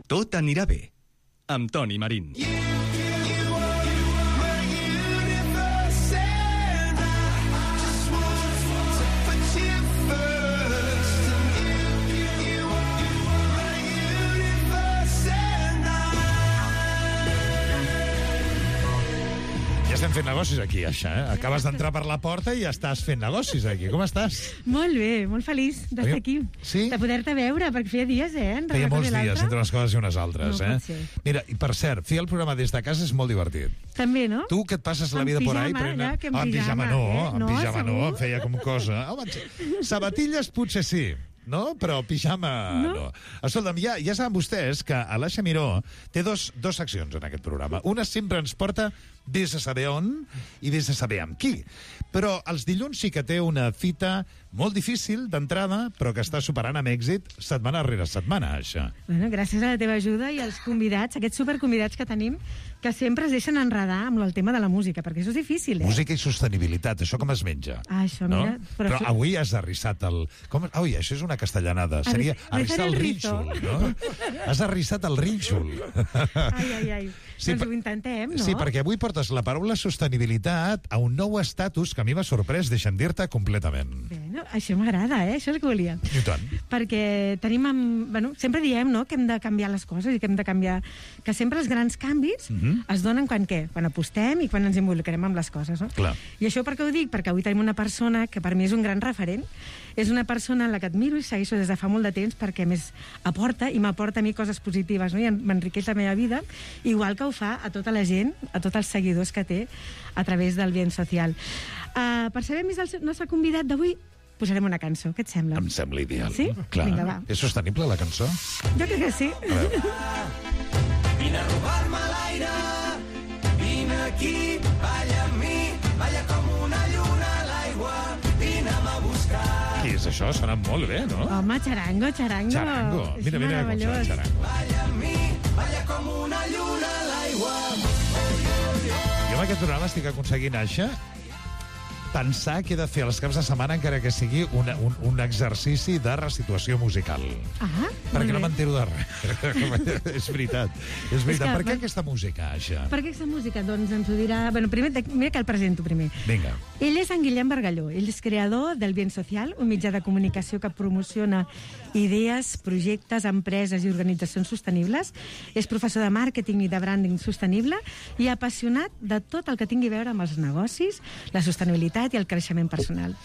Tot anirà bé, amb Toni Marín. Estem fent negocis aquí, això, eh? Acabes d'entrar per la porta i ja estàs fent negocis aquí. Com estàs? Molt bé, molt feliç d'estar aquí. Sí? De poder-te veure, perquè feia dies, Feia molts dies, entre unes coses i unes altres, no eh? Pot ser. Mira, i per cert, fer el programa des de casa és molt divertit. També, no? Tu que et passes la vida por ahí... En pijama no, en pijama no, em feia com cosa. Sabatilles potser sí, no? Però pijama no. Escolta'm, ja saben vostès que Alaixa Miró té dos seccions en aquest programa. Una sempre ens porta des de saber on i des de saber amb qui. Però els dilluns sí que té una fita molt difícil d'entrada, però que està superant amb èxit setmana rere setmana, això. Bueno, gràcies a la teva ajuda i als convidats, aquests superconvidats que tenim, que sempre es deixen enredar amb el tema de la música, perquè això és difícil, eh? Música i sostenibilitat, això com es menja? Això, mira... No? Però avui has arrissat el... Ui, això és una castellanada. Seria arrissar el rínxol, no? Has arrissat el rínxol. Ai. Sí, doncs ho intentem, no? Sí, perquè avui portes la paraula sostenibilitat a un nou estatus que a mi m'ha sorprès, deixa'm dir-te, completament. Bueno, això m'agrada, això és el que volia. I tant. Perquè tenim... sempre diem, no?, que hem de canviar les coses i que hem de canviar... Que sempre els grans canvis es donen quan què? Quan apostem i quan ens involucrem amb les coses, no? Clar. I això per què ho dic? Perquè avui tenim una persona que per mi és un gran referent. És una persona en la que admiro i segueixo des de fa molt de temps perquè més aporta i m'aporta a mi coses positives, no? I m'enriqueix la meva vida, igual que ho fa a tota la gent, a tots els seguidors que té a través del Bien Social. Per saber més del nostre convidat d'avui, posarem una cançó. Què et sembla? Em sembla ideal. Sí? Clar. Vinga, va. És sostenible, la cançó? Jo crec que sí. Vine a robar-me l'aire, vine aquí, balla amb mi, balla com una lluna a l'aigua, vine'm a buscar. Què és això? Sona molt bé, no? Home, xarango. Xarango. És Mira com sona el xarango. Balla amb mi, balla com una lluna a l'aigua. Jo amb aquest programa estic aconseguint, Aixa, pensar que he de fer els caps de setmana encara que sigui un exercici de resituació musical. Perquè no m'entero de res. És veritat. Per què aquesta música, Aixa? Per què aquesta música? Doncs ens ho dirà... Bueno, primer, mira que el presento primer. Vinga. Ell és en Guillem Bargalló. Ell és creador del Bien Social, un mitjà de comunicació que promociona idees, projectes, empreses i organitzacions sostenibles. És professor de màrqueting i de branding sostenible i apassionat de tot el que tingui a veure amb els negocis, la sostenibilitat i el creixement personal.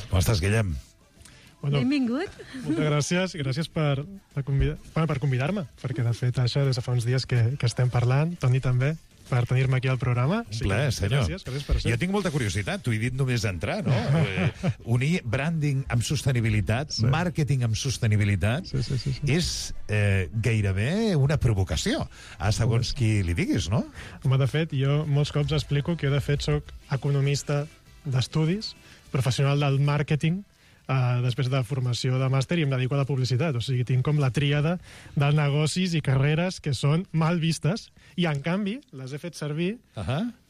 Com estàs, Guillem? Bueno, benvingut. Moltes gràcies per convidar-me, perquè de fet, Aixa, des de fa uns dies que estem parlant, Toni també, per tenir-me aquí al programa. Un plaer, senyor. Gràcies per això. Jo tinc molta curiositat, t'ho he dit només d'entrar, no? Unir branding amb sostenibilitat, màrqueting amb sostenibilitat, és gairebé una provocació, a segons qui li diguis, no? Home, de fet, jo molts cops explico que jo, de fet, soc economista d'estudis, professional del màrqueting, després de formació de màster, i em dedico a la publicitat. O sigui, tinc com la tríada de negocis i carreres que són mal vistes, i en canvi les he fet servir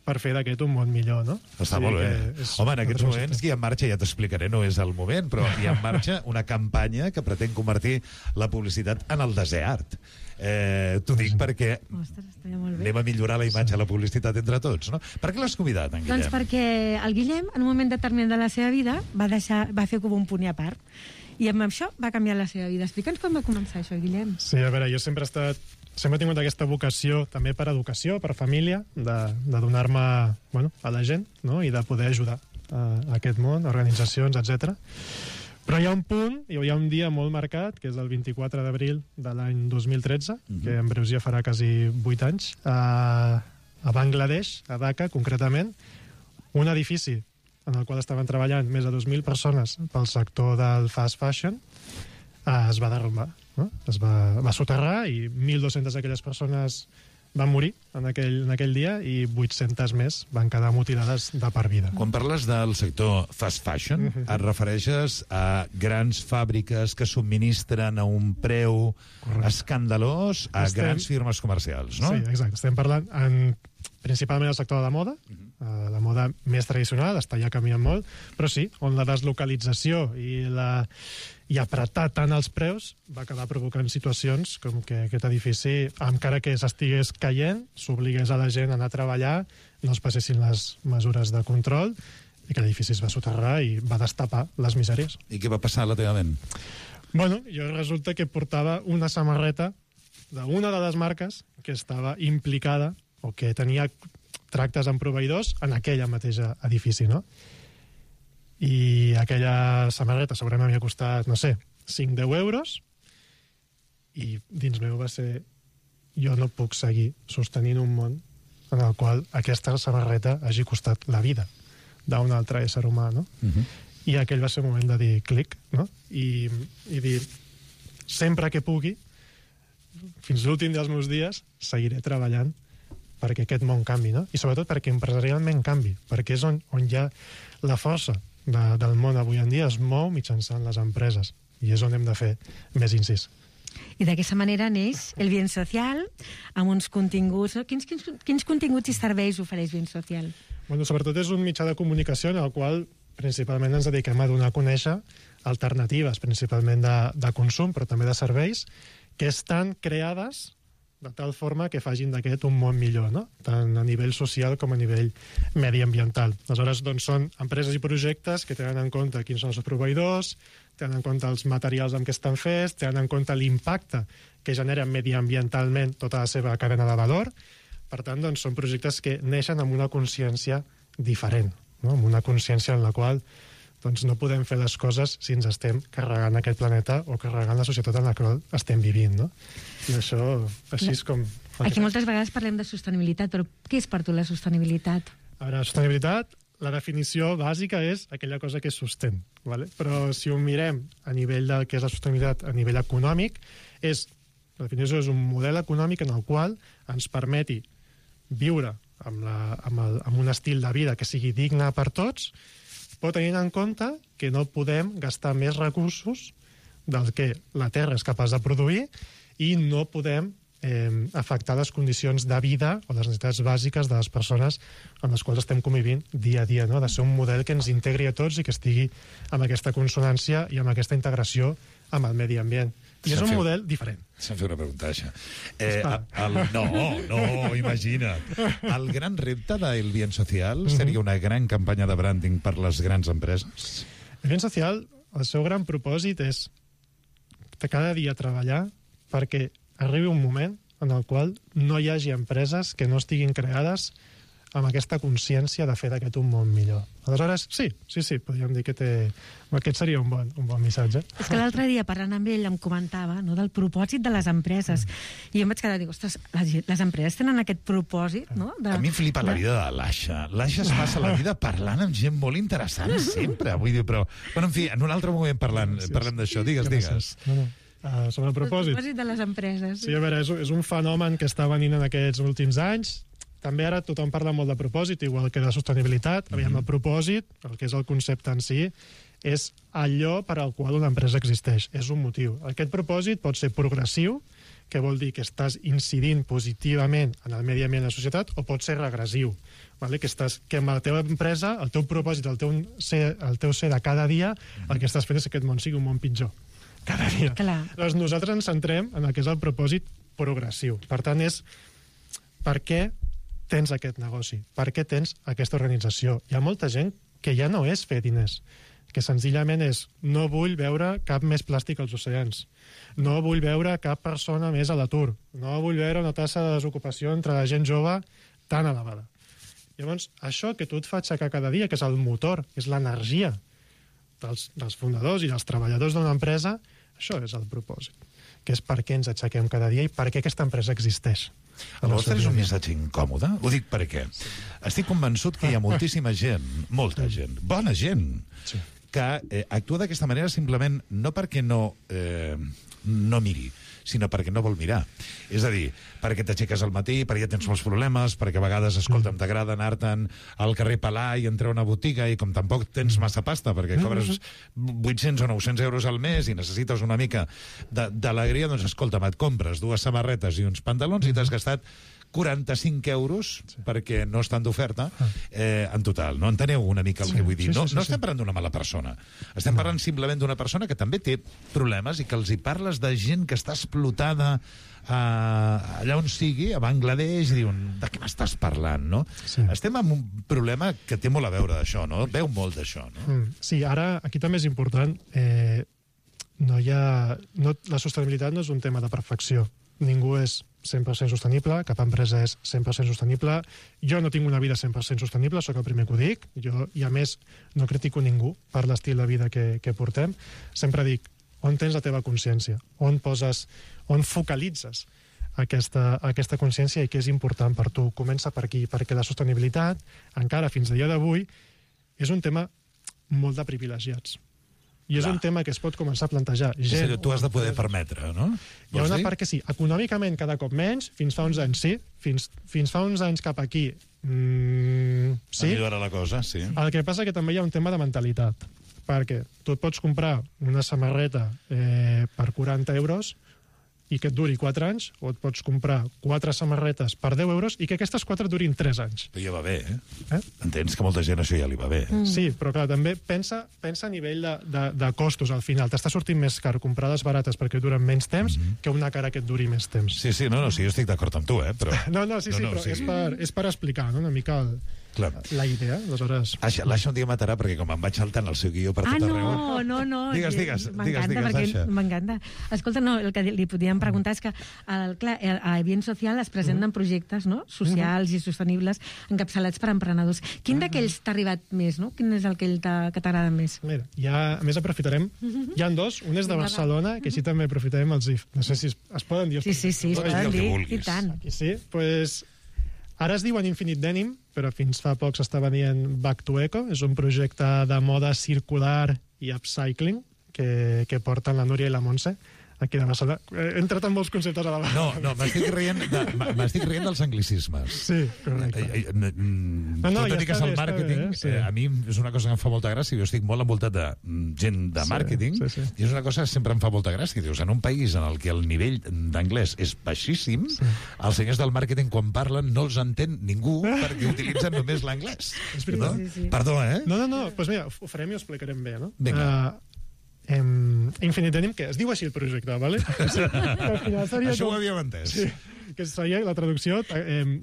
per fer d'aquest un món millor, no? Està molt bé. Home, en aquests moments hi ha en marxa, ja t'explicaré, no és el moment, però hi ha en marxa una campanya que pretén convertir la publicitat en el desert. T'ho dic perquè anem a millorar la imatge de la publicitat entre tots, no? Per què l'has convidat, en Guillem? Doncs perquè el Guillem, en un moment determinat de la seva vida, va fer com un punt i a part. I amb això va canviar la seva vida. Explica'ns com va començar això, Guillem. Sí, a veure, jo sempre he tingut aquesta vocació també per educació, per família, de donar-me a la gent, no? I de poder ajudar a aquest món, organitzacions, etc. Però hi ha un punt, hi ha un dia molt marcat, que és el 24 d'abril de l'any 2013, que en breus ja farà quasi 8 anys, a Bangladesh, a Dhaka, concretament, un edifici en el qual estaven treballant més de 2.000 persones pel sector del fast fashion, es va derrumbar, no? Es va soterrar i 1.200 d'aquelles persones van morir en aquell dia i 800 més van quedar mutilades de per vida. Quan parles del sector fast fashion, et refereixes a grans fàbriques que subministren a un preu escandalós a grans firmes comercials, no? Sí, exacte. Estem parlant principalment del sector de la moda, la moda més tradicional, està ja canviant molt, però sí, on la deslocalització i apretar tant els preus va acabar provocant situacions com que aquest edifici, encara que s'estigués caient, s'obligués a la gent a anar a treballar, no es passessin les mesures de control, i que l'edifici es va soterrar i va destapar les misèries. I què va passar a la teva ment? Bueno, jo resulta que portava una samarreta d'una de les marques que estava implicada o que tenia tractes amb proveïdors en aquella mateixa edifici, no? I aquella samarreta segurament m'havia costat, no sé, 5-10 euros, i dins meu va ser: jo no puc seguir sostenint un món en el qual aquesta samarreta hagi costat la vida d'un altre ésser humà, no? I aquell va ser un moment de dir clic, no? I dir, sempre que pugui, fins l'últim dels meus dies, seguiré treballant perquè aquest món canvi, no? I sobretot perquè empresarialment canvi, perquè és on hi ha la força del món avui en dia, es mou mitjançant les empreses, i és on hem de fer més incís. I d'aquesta manera neix el Bien Social, amb uns continguts... Quins continguts i serveis ofereix Bien Social? Bueno, sobretot és un mitjà de comunicació en el qual principalment ens dediquem a donar a conèixer alternatives, principalment de consum, però també de serveis, que estan creades de tal forma que facin d'aquest un món millor, no? Tant a nivell social com a nivell mediambiental. Aleshores, doncs, són empreses i projectes que tenen en compte quins són els seus proveïdors, tenen en compte els materials amb què estan fets, tenen en compte l'impacte que genera mediambientalment tota la seva cadena de valor. Per tant, doncs, són projectes que neixen amb una consciència diferent, no? Amb una consciència en la qual doncs, no podem fer les coses si ens estem carregant aquest planeta o carregant la societat en la qual estem vivint, no? I això, així és com... Aquí moltes vegades parlem de sostenibilitat, però què és per tu la sostenibilitat? A veure, sostenibilitat, la definició bàsica és aquella cosa que sostén, ¿vale? Però si ho mirem a nivell del que és la sostenibilitat a nivell econòmic, la definició és un model econòmic en el qual ens permeti viure amb un estil de vida que sigui digne per tots, però tenint en compte que no podem gastar més recursos del que la Terra és capaç de produir i no podem afectar les condicions de vida o les necessitats bàsiques de les persones amb les quals estem convivint dia a dia, no? Ha de ser un model que ens integri a tots i que estigui amb aquesta consonància i amb aquesta integració amb el medi ambient. I és un model diferent. Se'm fa una pregunta, això. No, imagina't. El gran repte del Bien Social seria una gran campanya de branding per les grans empreses? El Bien Social, el seu gran propòsit és de cada dia treballar perquè arribi un moment en el qual no hi hagi empreses que no estiguin creades amb aquesta consciència de fer d'aquest un món millor. Aleshores, sí, podríem dir que aquest seria un bon missatge. És que l'altre dia, parlant amb ell, em comentava, no, del propòsit de les empreses. I jo em vaig quedar, dic, ostres, les empreses tenen aquest propòsit, no? A mi em flipa la vida de l'Aixa. L'Aixa es passa la vida parlant amb gent molt interessant, sempre. Vull dir, però... Bueno, en fi, en un altre moment parlem d'això. Digues. Sobre el propòsit. El propòsit de les empreses. Sí, a veure, és un fenomen que està venint en aquests últims anys. També ara tothom parla molt de propòsit, igual que de sostenibilitat. Aviam, el propòsit, el que és el concepte en si, és allò per al qual una empresa existeix. És un motiu. Aquest propòsit pot ser progressiu, que vol dir que estàs incidint positivament en el medi ambient de la societat, o pot ser regressiu, vale? Que amb la teva empresa, el teu propòsit, el teu ser de cada dia, el que estàs fent és que aquest món sigui un món pitjor. Cada dia. Clar. Doncs nosaltres ens centrem en el que és el propòsit progressiu. Per tant, és per què tens aquest negoci? Per què tens aquesta organització? Hi ha molta gent que ja no és fer diners, que senzillament és no vull veure cap més plàstic als oceans, no vull veure cap persona més a l'atur, no vull veure una tassa de desocupació entre la gent jove tan elevada. Llavors, això que tu et fa aixecar cada dia, que és el motor, que és l'energia dels fundadors i dels treballadors d'una empresa, això és el propòsit, que és per què ens aixequem cada dia i per què aquesta empresa existeix. El vostre és un missatge incòmode? Ho dic perquè estic convençut que hi ha moltíssima gent, molta gent, bona gent, que actua d'aquesta manera simplement no perquè no miri, sinó perquè no vol mirar. És a dir, perquè t'aixeques al matí, perquè ja tens molts problemes, perquè a vegades, escolta'm, t'agrada anar-te'n al carrer Palà i entrar a una botiga i com tampoc tens massa pasta, perquè cobres 800 o 900 euros al mes i necessites una mica d'alegria, doncs escolta'm, et compres 2 samarretes i uns pantalons i t'has gastat 45 euros perquè no estan d'oferta en total. No enteneu una mica el que vull dir? No estem parlant d'una mala persona. Estem parlant simplement d'una persona que també té problemes i que els hi parles de gent que està explotada allà on sigui, a Bangladesh, i diuen, de què m'estàs parlant, no? Sí. Estem amb un problema que té molt a veure d'això, no? Veu molt d'això, no? Sí, ara, aquí també és important, la sostenibilitat no és un tema de perfecció. Ningú és 100% sostenible, cap empresa és 100% sostenible. Jo no tinc una vida 100% sostenible, sóc el primer que ho dic, i a més no critico ningú per l'estil de vida que portem. Sempre dic, on tens la teva consciència? On focalitzes aquesta consciència i què és important per tu? Comença per aquí, perquè la sostenibilitat, encara fins a dia d'avui, és un tema molt de privilegiats. I és un tema que es pot començar a plantejar. Tu has de poder permetre, no? Hi ha una part que sí. Econòmicament, cada cop menys, fins fa uns anys sí, fins fa uns anys cap aquí sí. Millora la cosa, sí. El que passa que també hi ha un tema de mentalitat, perquè tu et pots comprar una samarreta per 40 euros i que et duri 4 anys, o et pots comprar 4 samarretes per 10 euros i que aquestes 4 durin 3 anys. Però ja va bé, Entens que molta gent això ja li va bé. Sí, però clar, també pensa a nivell de costos al final. T'està sortint més car comprar les barates perquè duren menys temps que una cara que et duri més temps. Sí, jo estic d'acord amb tu, però... Però és per explicar una mica la idea, aleshores... L'Aixa un dia matarà perquè com em vaig saltant el seu guió per tot arreu... No. Digues, Aixa. M'encanta. Escolta, el que li podíem preguntar és que, clar, a Bien Social es presenten projectes socials i sostenibles encapçalats per emprenedors. Quin d'aquells t'ha arribat més, no? Quin és el que t'agrada més? Mira, a més aprofitarem... Hi ha dos, un és de Barcelona, que així també aprofitarem els IF. No sé si es poden dir... Sí, es poden dir, i tant. Aquí sí, doncs... Ara es diuen Infinite Denim, però fins fa poc s'estava dient Back to Eco. És un projecte de moda circular i upcycling que porten la Núria i la Montse aquí de Barcelona. He entrat en molts conceptes a la vegada. No, m'estic rient dels anglicismes. Sí, correcte. Tot i que és el màrqueting, a mi és una cosa que em fa molta gràcia. Jo estic molt envoltat de gent de màrqueting i és una cosa que sempre em fa molta gràcia. Dius, en un país en el que el nivell d'anglès és baixíssim, els senyors del màrqueting, quan parlen, no els entén ningú perquè utilitzen només l'anglès. Perdó, No, doncs mira, ho farem i ho explicarem bé, no? Vinga. Infinite Denim, que es diu així el projecte, ¿vale? Això ho havíem entès. Sí, que seria la traducció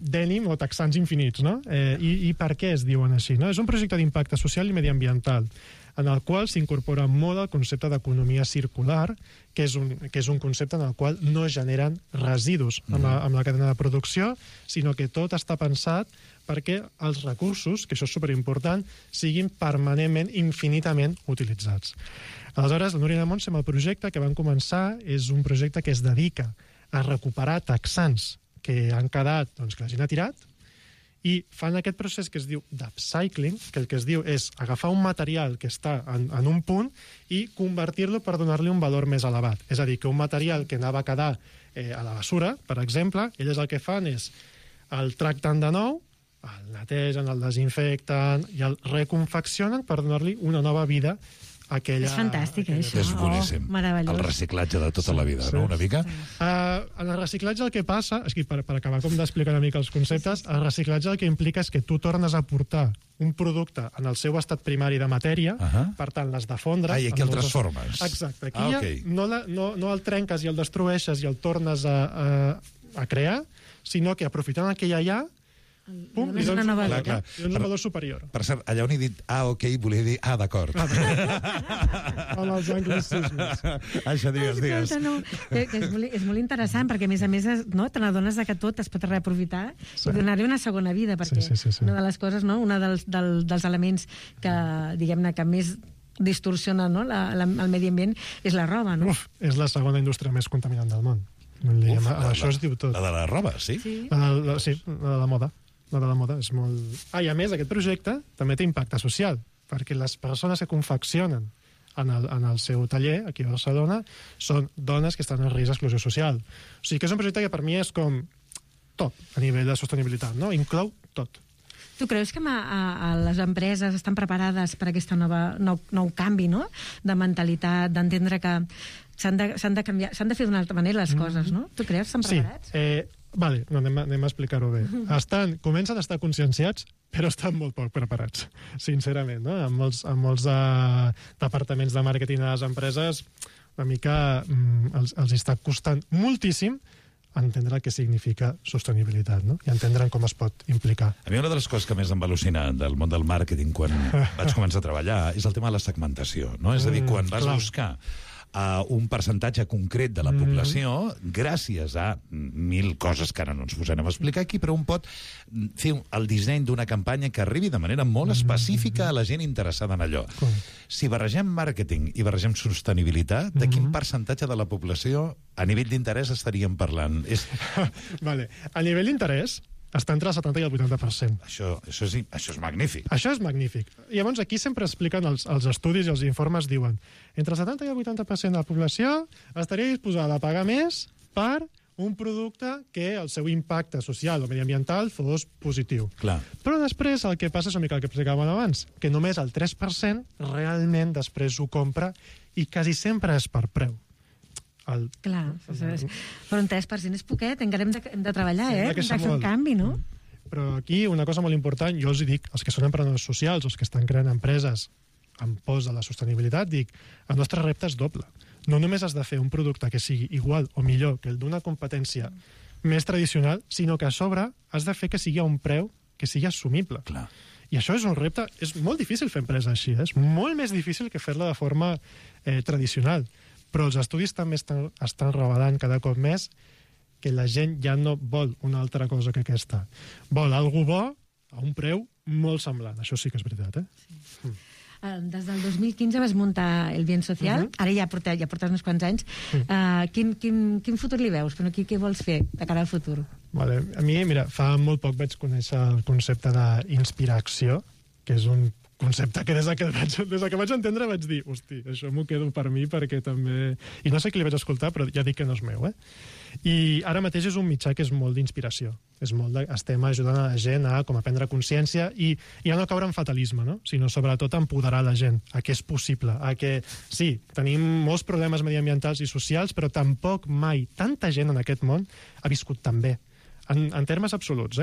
denim o texans infinits, no? I per què es diuen així, no? És un projecte d'impacte social i mediambiental en el qual s'incorpora molt el concepte d'economia circular, que és un concepte en el qual no generen residus amb la cadena de producció, sinó que tot està pensat perquè els recursos, que això és superimportant, siguin permanentment, infinitament utilitzats. Aleshores, la Núria i la Montse, amb el projecte que van començar, és un projecte que es dedica a recuperar texans que han quedat, que la gent ha tirat, i fan aquest procés que es diu d'upcycling, que el que es diu és agafar un material que està en un punt i convertir-lo per donar-li un valor més elevat. És a dir, que un material que anava a quedar a la basura, per exemple, elles el que fan és el tracten de nou, el netegen, el desinfecten i el reconfeccionen per donar-li una nova vida a aquella... És fantàstic, això. És boníssim. Meravellós. El reciclatge de tota la vida, no? Una mica? En el reciclatge el que passa, és que per acabar com d'explicar una mica els conceptes, el reciclatge el que implica és que tu tornes a portar un producte en el seu estat primari de matèria, per tant, l'has de fondre... I aquí el transformes. Exacte. Aquí no el trenques i el destrueixes i el tornes a crear, sinó que aprofitant el que ja hi ha, pum, li dones un valor superior. Per cert, allà on he dit ok, volia dir d'acord. Amb els anglicismes. Això, digues. És molt interessant, perquè a més te n'adones que tot es pot reaprofitar i donar-li una segona vida, perquè una de les coses, una dels elements que, diguem-ne, que més distorsiona el medi ambient és la roba, no? És la segona indústria més contaminant del món. Això es diu tot. La de la roba, sí? Sí, la de la moda. La de la moda és molt... I a més, aquest projecte també té impacte social, perquè les persones que confeccionen en el seu taller, aquí a Barcelona, són dones que estan en risc d'exclusió social. O sigui que és un projecte que per mi és com tot a nivell de sostenibilitat, no? Inclou tot. Tu creus que les empreses estan preparades per aquest nou canvi, no?, de mentalitat, d'entendre que s'han de canviar, s'han de fer d'una altra manera les coses, no? Tu creus que estan preparats? Sí. Vale, no, anem a explicar-ho bé. Comencen a estar conscienciats, però estan molt poc preparats, sincerament, no? Amb molts departaments de màrqueting a les empreses, una mica els està costant moltíssim entendre el que significa sostenibilitat, no? I entendre com es pot implicar. A mi una de les coses que més em va al·lucinar del món del màrqueting quan vaig començar a treballar és el tema de la segmentació, no? És a dir, quan vas buscar un percentatge concret de la població, gràcies a 1000 coses que ara no ens posarem a explicar aquí, però un pot fer el disseny d'una campanya que arribi de manera molt específica a la gent interessada en allò. Si barregem màrqueting i barregem sostenibilitat, de quin percentatge de la població a nivell d'interès estaríem parlant? Vale. A nivell d'interès, està entre el 70 i el 80%. Això és magnífic. Això és magnífic. Llavors, aquí sempre expliquen els estudis i els informes, diuen entre el 70 i el 80% de la població estaria disposada a pagar més per un producte que el seu impacte social o mediambiental fos positiu. Clar. Però després el que passa és una mica el que explicàvem abans, que només el 3% realment després ho compra i quasi sempre és per preu. Clar, però un 3% és poquet, encara hem de treballar, hem de fer un canvi, no? Però aquí una cosa molt important, jo els dic, els que són emprenedors socials, els que estan creant empreses amb pos de la sostenibilitat, dic, el nostre repte és doble. No només has de fer un producte que sigui igual o millor que el d'una competència més tradicional, sinó que a sobre has de fer que sigui a un preu que sigui assumible. Clar. I això és un repte, és molt difícil fer empresa així, és molt més difícil que fer-la de forma tradicional. Però els estudis també estan revelant cada cop més que la gent ja no vol una altra cosa que aquesta. Vol algo bo a un preu molt semblant. Això sí que és veritat, Sí. Des del 2015 vas muntar el Bien Social, ara ja portes uns quants anys. Quin futur li veus? Però què vols fer de cara al futur? Vale. A mi, mira, fa molt poc vaig conèixer el concepte d'inspiració, que és un concepte que des que vaig entendre vaig dir, hosti, això m'ho quedo per mi perquè també... I no sé qui li vaig escoltar, però ja dic que no és meu, I ara mateix és un mitjà que és molt d'inspiració. Estem ajudant a la gent a prendre consciència i a no caure en fatalisme, no? Sinó sobretot a empoderar la gent, a que és possible, a que sí, tenim molts problemes mediambientals i socials, però tampoc mai tanta gent en aquest món ha viscut tan bé. En termes absoluts,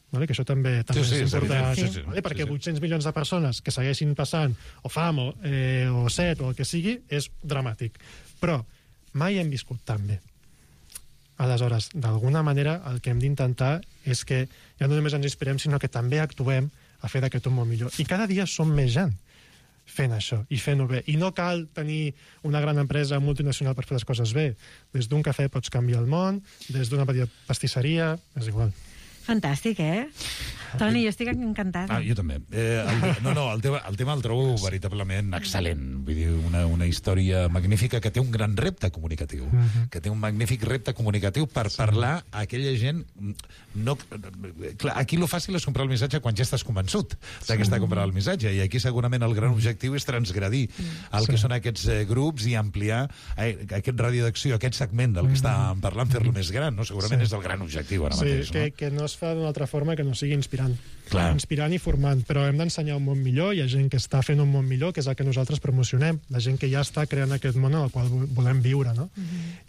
Vale, que això també és important, perquè 800 milions de persones que segueixin passant o fam o set o el que sigui és dramàtic, però mai hem viscut tan bé. Aleshores, d'alguna manera el que hem d'intentar és que ja no només ens inspirem, sinó que també actuem a fer d'aquest un món millor, i cada dia som més gent fent això i fent-ho bé, i no cal tenir una gran empresa multinacional per fer les coses bé. Des d'un cafè pots canviar el món, des d'una petita pastisseria, és igual. Fantàstic, Toni, jo estic encantada. Jo també. El tema el trobo veritablement excel·lent. Vull dir, una història magnífica que té un gran repte comunicatiu. Que té un magnífic repte comunicatiu per parlar a aquella gent... Clar, aquí lo fàcil és comprar el missatge quan ja estàs convençut que està comprant el missatge, i aquí segurament el gran objectiu és transgredir el que són aquests grups i ampliar aquest radi d'acció, aquest segment del que estàvem parlant, fer-lo més gran, no? Segurament és el gran objectiu ara mateix. Sí, que no es fa d'una altra forma que no sigui inspirant. Clar. Inspirant i formant, però hem d'ensenyar un món millor, hi ha gent que està fent un món millor, que és el que nosaltres promocionem, la gent que ja està creant aquest món en el qual volem viure, no?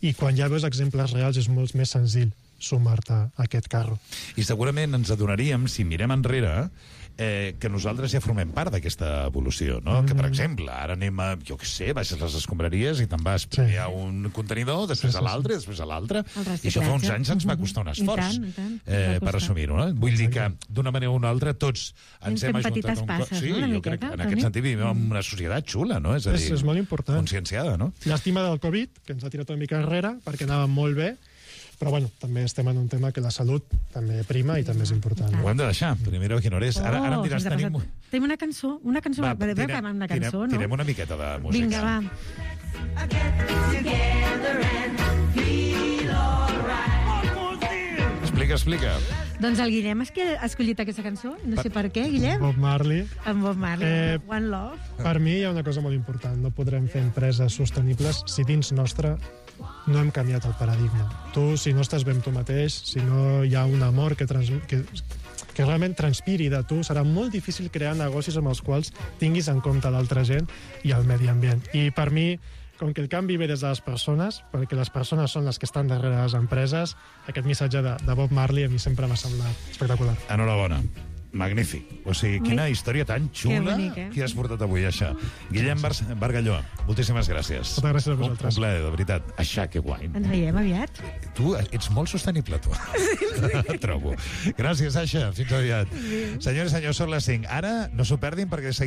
I quan ja veus exemples reals és molt més senzill sumar-te a aquest carro. I segurament ens adonaríem, si mirem enrere, que nosaltres ja formem part d'aquesta evolució, no? Que, per exemple, ara anem a, jo què sé, baixes les escombraries i te'n vas primer a un contenidor, després a l'altre, després a l'altre, i això fa uns anys ens va costar un esforç per assumir-ho, no? Vull dir que, d'una manera o una altra, tots ens hem ajuntat un cop. Sí, jo crec que en aquest sentit vivim en una societat xula, no? És a dir, és molt important. Conscienciada, no? Llàstima del Covid, que ens ha tirat una mica enrere, perquè anava molt bé, però bueno, també estem en un tema que la salut també prima i també és important. Ho hem de deixar, primera quina hora és. Ara em diràs, tenim una cançó, tirem una miqueta de música. Vinga, va. Explica. Doncs el Guillem ha escollit aquesta cançó, no sé per què, Guillem. Bob Marley. Amb Bob Marley, One Love. Per mi hi ha una cosa molt important, no podrem fer empreses sostenibles si dins nostre no hem canviat el paradigma. Tu, si no estàs bé amb tu mateix, si no hi ha un amor que realment transpiri de tu, serà molt difícil crear negocis amb els quals tinguis en compte l'altra gent i el medi ambient. I per mi, com que el canvi ve des de les persones, perquè les persones són les que estan darrere de les empreses, aquest missatge de Bob Marley a mi sempre m'ha semblat espectacular. Enhorabona. Magnífic. O sigui, quina història tan xula que has portat avui, això. Guillem Bargalló, moltíssimes gràcies. Moltes gràcies a vosaltres. Un plaer, de veritat. Això, que guai. Ens veiem aviat. Tu ets molt sostenible, tu. Et trobo. Gràcies, Sasha. Fins aviat. Senyors i senyors, són les 5. Ara no s'ho perdin perquè